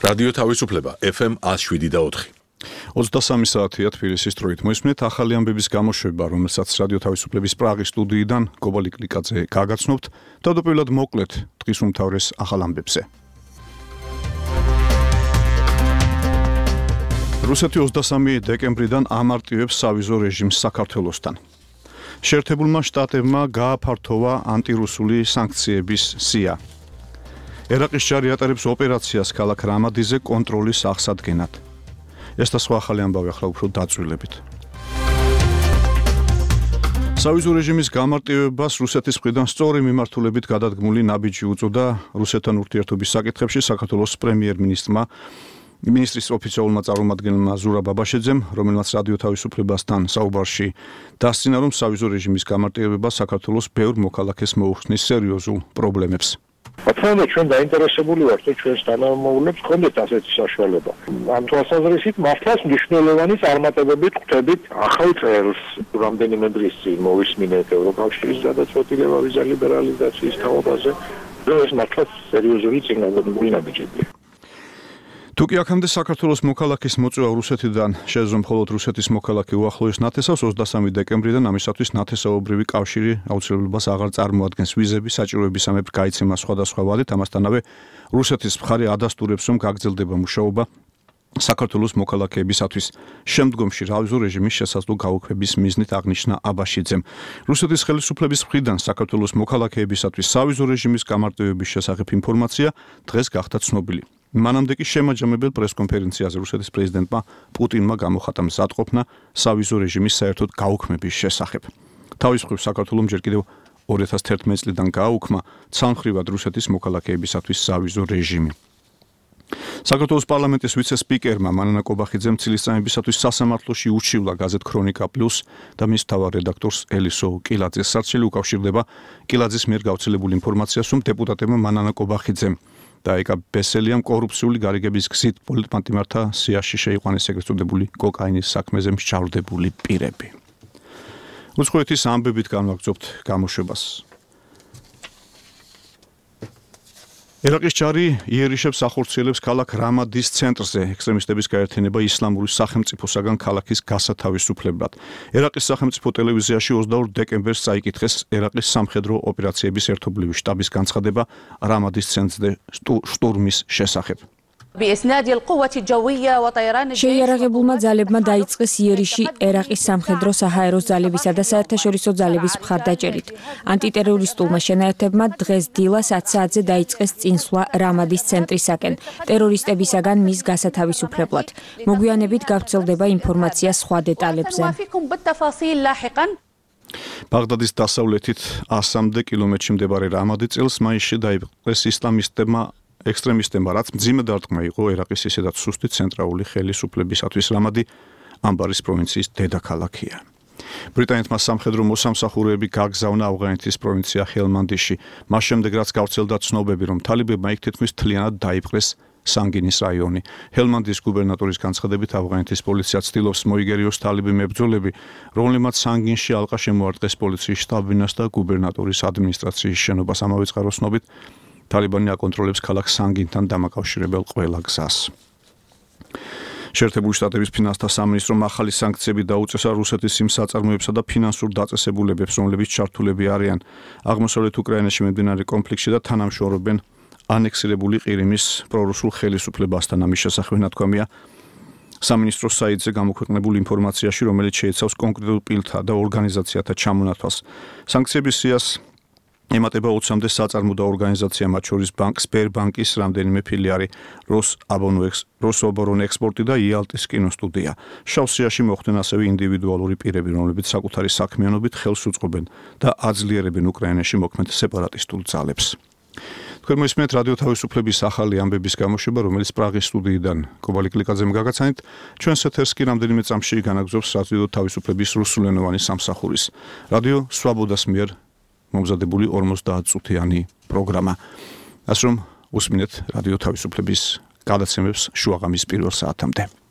რადიო თავისუფლება FM 107.4. 23 საათია თბილისის დროით. მოისმენთ ახალი ამბების გამოშვება, რომელსაც რადიო თავისუფლების პრაღის სტუდიიდან კობალი კლიკაძე გაგაცნობთ. თავდაპირველად მოკლედ დღის უმთავრეს ახალ ამბებზე. რუსეთი 23 დეკემბრიდან ამარტივებს სავიზო რეჟიმს საქართველოსთან. შეერთებულმა შტატებმა გააფართოვა ანტირუსული სანქციების სია. ერაყის ჯარი ატარებს ოპერაციას ქალაქ რამადიზე კონტროლის აღსადგენად. ეს და სხვა ახალი ამბავი ახლა უფრო დაწვრილებით. სავიზო რეჟიმის გამარტივებას რუსეთის მხრიდან სწორი მიმართულებით გადადგმული ნაბიჯი უწოდა რუსეთთან ურთიერთობის საკითხებში საქართველოს პრემიერ-მინისტრის ოფიციალურმა წარმომადგენელმა ზურაბ აბაშიძემ, რომელმაც რადიო თავისუფლებასთან საუბარში დასცინა, რომ სავიზო რეჟიმის გამარტივება საქართველოს ბევრ მოქალაქეს მოუხსნის სერიოზულ პრობლემებს. Ათქმა ჩვენ დაინტერესებული ვართ, რომ ჩვენს თანამშრომლებს ჰქონდეთ ასეთი საშუალება. ამ თვალსაზრისით მართლაც მნიშვნელოვანი წარმატებებით ხვდებით ახალ წელს, რამდენიმე დღის წინ მოვისმინეთ ევროკავშირის გადაწყვეტილება ვიზა ლიბერალიზაციის თაობაზე, რომ ეს მართლაც სერიოზული წინგაღმდეგობრივი ნაბიჯებია. თუკი აქამდე საქართველოს მოქალაქის მოწვევა რუსეთიდან შეეძლო მხოლოდ რუსეთის მოქალაქე უახლოეს ნათესავს 23 დეკემბრიდან ამისათვის ნათესაობრივი კავშირი აუცილებლობას აღარ წარმოადგენს ვიზების საჭიროებისამებრ გაიცემა სხვადასხვა ვადით, ამასთანავე რუსეთის მხარე ადასტურებს, რომ გაგრძელდება მუშაობა საქართველოს მოქალაქეებისათვის. შემდგომში სავიზო რეჟიმის შესაძლო გაუქმების მიზნით აღნიშნა აბაშიძემ. რუსეთის ხელისუფლების მხრიდან საქართველოს მოქალაქეებისათვის სავიზო რეჟიმის გამარტივების შესახებ ინფორმაცია დღეს გახდა ცნობილი. მანამდე კი შემაჯამებელ პრესკონფერენციაზე რუსეთის პრეზიდენტმა პუტინმა გამოხატა მზადყოფნა სავიზო რეჟიმის საერთოდ გაუქმების შესახებ. თავის მხრივ საქართველოს ჯერ კიდევ 2011 წლიდან გააუქმა ცალმხრივად რუსეთის მოქალაქეებისათვის სავიზო რეჟიმი. საქართველოს პარლამენტის ვიცე-სპიკერმა მანანა კობახიძემ წლისწამებისათვის სასამართლოში უშივლა გაზეთ ქრონიკა პლუს და მის მთავარ რედაქტორს ელისო კილაძეს. სარჩელი უკავშირდება კილაძის მიერ გავრცელებულ ინფორმაციას, რომ დეპუტატებმა მანანა კობახიძემ და ეკა ბესელიამ კორუფციული გარიგების გზით პოლიტპატიმართა სიაში შეიყვანეს ეგრეთ წოდებული კოკაინის საქმეზე მსჯავრდებული პირები. უცხოეთის ამბებით განვაგრძობთ გამოშვებას. ერაყის ჯარი იერიშებს ახორციელებს ქალაქ რამადის ცენტრზე ექსტრემისტების გაერთიანება ისლამური სახელმწიფოსაგან ქალაქის გასათავისუფლებლად. ერაყის სახელმწიფო ტელევიზიაში 22 დეკემბერს წაიკითხეს ერაყის სამხედრო ოპერაციების ერთობლივი შტაბის განცხადება რამადის ცენტრზე შტურმის შესახებ. შეიარაღებულმა ძალებმა დაიწყეს იერიში ერაყის სამხედრო საჰაერო ძალებისა და საერთაშორისო ძალების მხარდაჭერით. ანტიტერორისტულმა შენაერთებმა დღეს დილას 10 საათზე დაიწყეს წინსვლა რამადის ცენტრისაკენ, ტერორისტებისაგან მის გასათავისუფლებლად. მოგვიანებით გავრცელდება ინფორმაცია სხვა დეტალებზე. ბაღდადის დასავლეთით 100 კილომეტრში მდებარე რამადი წელს მაისში დაიპყრეს ისლამისტებმა ექსტრემისტებმა, რაც მძიმე დარტყმა იყო ერაყის ისედაც სუსტი ცენტრალური ხელისუფლებისათვის. რამადი ამბარის პროვინციის დედაქალაქია. ბრიტანეთმა სამხედრო მოსამსახურეები გაგზავნა ავღანეთის პროვინცია ჰელმანდიში. მას შემდეგ რაც გავრცელდა ცნობები, რომ თალიბებმა იქ თითქმის მთლიანად დაიპყრეს სანგინის რაიონი. ჰელმანდის გუბერნატორის განცხადებით ავღანეთის პოლიცია ცდილობს მოიგერიოს თალიბი მებრძოლები, რომლებმაც სანგინში ალყა შემოარტყეს პოლიციის შტაბ-ბინას და გუბერნატორის ადმინისტრაციის შენობას. ამავე წყაროს ცნობით თალიბანი აკონტროლებს ქალაქ სანგინთან დამაკავშირებელ ყველა გზას. შეერთებული შტატების ფინანსთა სამინისტრომ ახალი სანქციები დაუწესა რუსეთის იმ საწარმოებსა და ფინანსურ დაწესებულებებს, რომლებიც ჩართულები არიან აღმოსავლეთ უკრაინაში მიმდინარე კონფლიქტში და თანამშრომლობენ ანექსირებული ყირიმის პრორუსულ ხელისუფლებასთან. ამის შესახებ ნათქვამია სამინისტროს საიტზე გამოქვეყნებულ ინფორმაციაში, რომელიც შეიცავს კონკრეტულ პირთა და ორგანიზაციათა ჩამონათვალს. სანქციების სიას ემატება 20-მდე საწარმო და ორგანიზაცია, მათ შორის სპერბანკის რამდენიმე ფილიალი, როსობორონექსპორტი და იალტის კინოსტუდია. შავ სიაში მოხვდნენ ასევე ინდივიდუალური პირები, რომლებიც საკუთარი საქმიანობით ხელს უწყობენ და აძლიერებენ უკრაინაში მოქმედ სეპარატისტულ ძალებს. თქვენ მოისმენთ რადიო თავისუფლების ახალი ამბების გამოშვება, რომელიც პრაღის სტუდიიდან კობალი კლიკაძემ გაგაცანით. ჩვენს ეთერს კი რამდენიმე წამში განაგრძობს რადიო თავისუფლების რუსულენოვანი სამსახურის რადიო სვაბოდას მიერ მომზადებული 50 წუთიანი პროგრამა. ასე რომ უსმინეთ რადიო თავისუფლების გადაცემებს შუაღამის პირველ საათამდე.